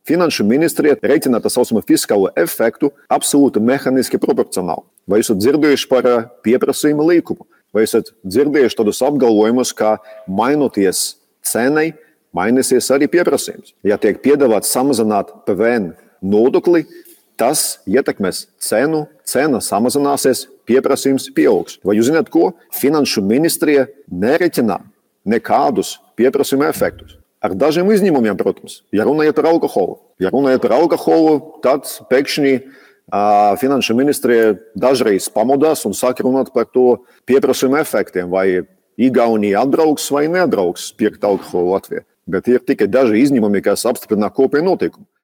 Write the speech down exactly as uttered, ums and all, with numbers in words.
Finanšu ministrija reiķina tā saucamo fiskālo efektu absolūti mehāniski proporcionāli. Vai esat dzirdējuši par pieprasījuma līkumu? Vai esat dzirdējuši tādus apgalvojumus, ka mainoties cenai, mainīsies arī pieprasījums? Ja tiek piedāvāts samazināt P V N nodokli, tas ietekmēs cenu, cena samazināsies, pieprasījums pieaugs. Vai jūs zināt, ko? Finanšu ministrija nereķina nekādus pieprasījuma efektus. Ar dažiem izņēmumiem, protams, ja runājot par alkoholu. Ja runājot par alkoholu, tad pēkšņi uh, finanšu ministrija dažreiz pamodās un sāk runāt par to pieprasījuma efektiem, vai Igaunija atbrauks vai neatbrauks pirkt alkoholu Latvijā. Bet ir tikai daži izņēmumi, kas apstiprina kopēju notikumu.